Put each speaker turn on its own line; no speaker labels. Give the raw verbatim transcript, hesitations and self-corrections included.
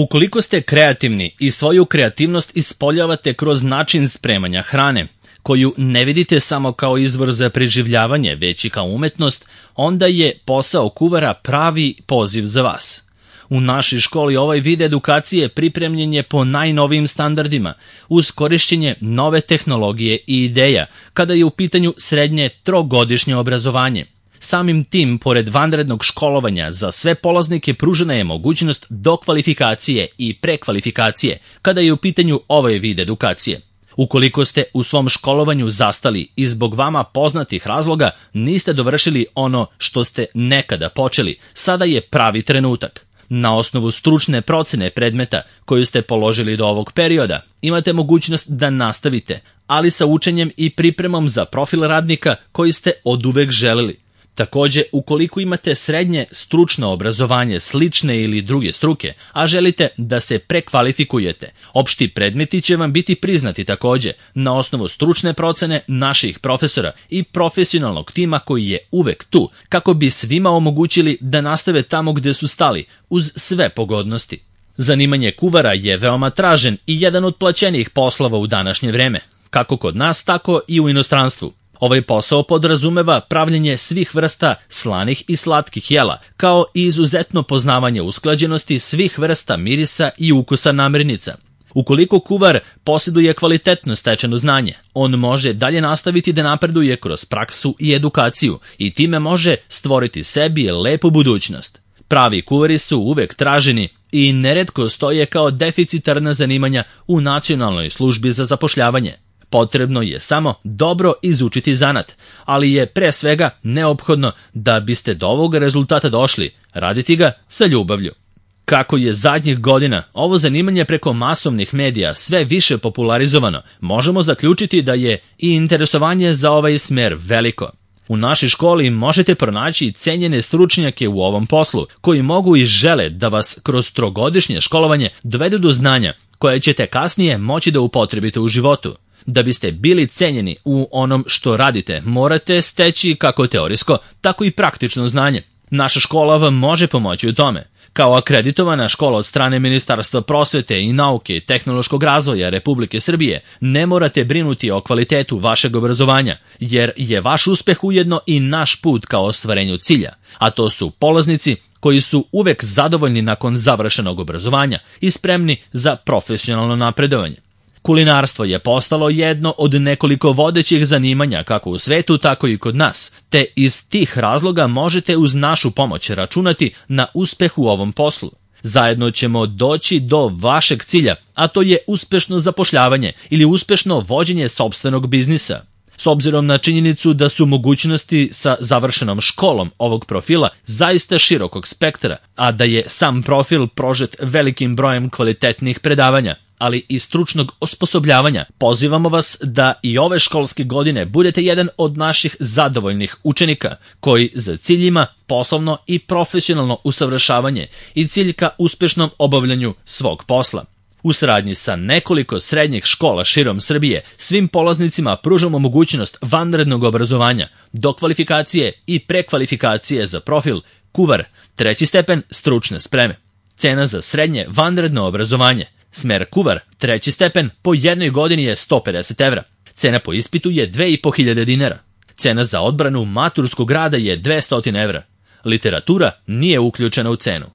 Ukoliko ste kreativni i svoju kreativnost ispoljavate kroz način spremanja hrane, koju ne vidite samo kao izvor za preživljavanje, već i kao umetnost, onda je posao kuvara pravi poziv za vas. U našoj školi ovaj vid edukacije pripremljen je po najnovijim standardima, uz korišćenje nove tehnologije i ideja, kada je u pitanju srednje trogodišnje obrazovanje. Samim tim, pored vanrednog školovanja, za sve polaznike pružena je mogućnost dokvalifikacije i prekvalifikacije, kada je u pitanju ovaj vid edukacije. Ukoliko ste u svom školovanju zastali i zbog vama poznatih razloga niste dovršili ono što ste nekada počeli, sada je pravi trenutak. Na osnovu stručne procene predmeta koju ste položili do ovog perioda, imate mogućnost da nastavite, ali sa učenjem i pripremom za profil radnika koji ste oduvek želeli. Takođe, ukoliko imate srednje stručno obrazovanje slične ili druge struke, a želite da se prekvalifikujete, opšti predmeti će vam biti priznati takođe na osnovu stručne procene naših profesora i profesionalnog tima koji je uvek tu, kako bi svima omogućili da nastave tamo gde su stali, uz sve pogodnosti. Zanimanje kuvara je veoma tražen i jedan od plaćenijih poslova u današnje vreme, kako kod nas, tako i u inostranstvu. Ovaj posao podrazumeva pravljenje svih vrsta slanih i slatkih jela, kao i izuzetno poznavanje usklađenosti svih vrsta mirisa i ukusa namirnica. Ukoliko kuvar posjeduje kvalitetno stečeno znanje, on može dalje nastaviti da napreduje kroz praksu i edukaciju i time može stvoriti sebi lepu budućnost. Pravi kuvari su uvek traženi i neretko stoje kao deficitarna zanimanja u Nacionalnoj službi za zapošljavanje. Potrebno je samo dobro izučiti zanat, ali je pre svega neophodno da biste do ovog rezultata došli, raditi ga sa ljubavlju. Kako je zadnjih godina ovo zanimanje preko masovnih medija sve više popularizovano, možemo zaključiti da je i interesovanje za ovaj smer veliko. U našoj školi možete pronaći cenjene stručnjake u ovom poslu, koji mogu i žele da vas kroz trogodišnje školovanje dovedu do znanja koje ćete kasnije moći da upotrebite u životu. Da biste bili cenjeni u onom što radite, morate steći kako teorijsko, tako i praktično znanje. Naša škola vam može pomoći u tome. Kao akreditovana škola od strane Ministarstva prosvete i nauke i tehnološkog razvoja Republike Srbije, ne morate brinuti o kvalitetu vašeg obrazovanja, jer je vaš uspeh ujedno i naš put ka ostvarenju cilja, a to su polaznici koji su uvek zadovoljni nakon završenog obrazovanja i spremni za profesionalno napredovanje. Kulinarstvo je postalo jedno od nekoliko vodećih zanimanja kako u svetu, tako i kod nas, te iz tih razloga možete uz našu pomoć računati na uspeh u ovom poslu. Zajedno ćemo doći do vašeg cilja, a to je uspešno zapošljavanje ili uspešno vođenje sopstvenog biznisa. S obzirom na činjenicu da su mogućnosti sa završenom školom ovog profila zaista širokog spektra, a da je sam profil prožet velikim brojem kvalitetnih predavanja, ali i stručnog osposobljavanja, pozivamo vas da i ove školske godine budete jedan od naših zadovoljnih učenika, koji za cilj ima poslovno i profesionalno usavršavanje i cilj ka uspešnom obavljanju svog posla. U saradnji sa nekoliko srednjih škola širom Srbije, svim polaznicima pružamo mogućnost vanrednog obrazovanja, dokvalifikacije i prekvalifikacije za profil kuvar, treći stepen stručne spreme. Cena za srednje vanredno obrazovanje, smer kuvar, treći stepen, po jednoj godini je sto pedeset evra. Cena po ispitu je dve i po hiljade dinara. Cena za odbranu maturskog rada je dvesta evra. Literatura nije uključena u cenu.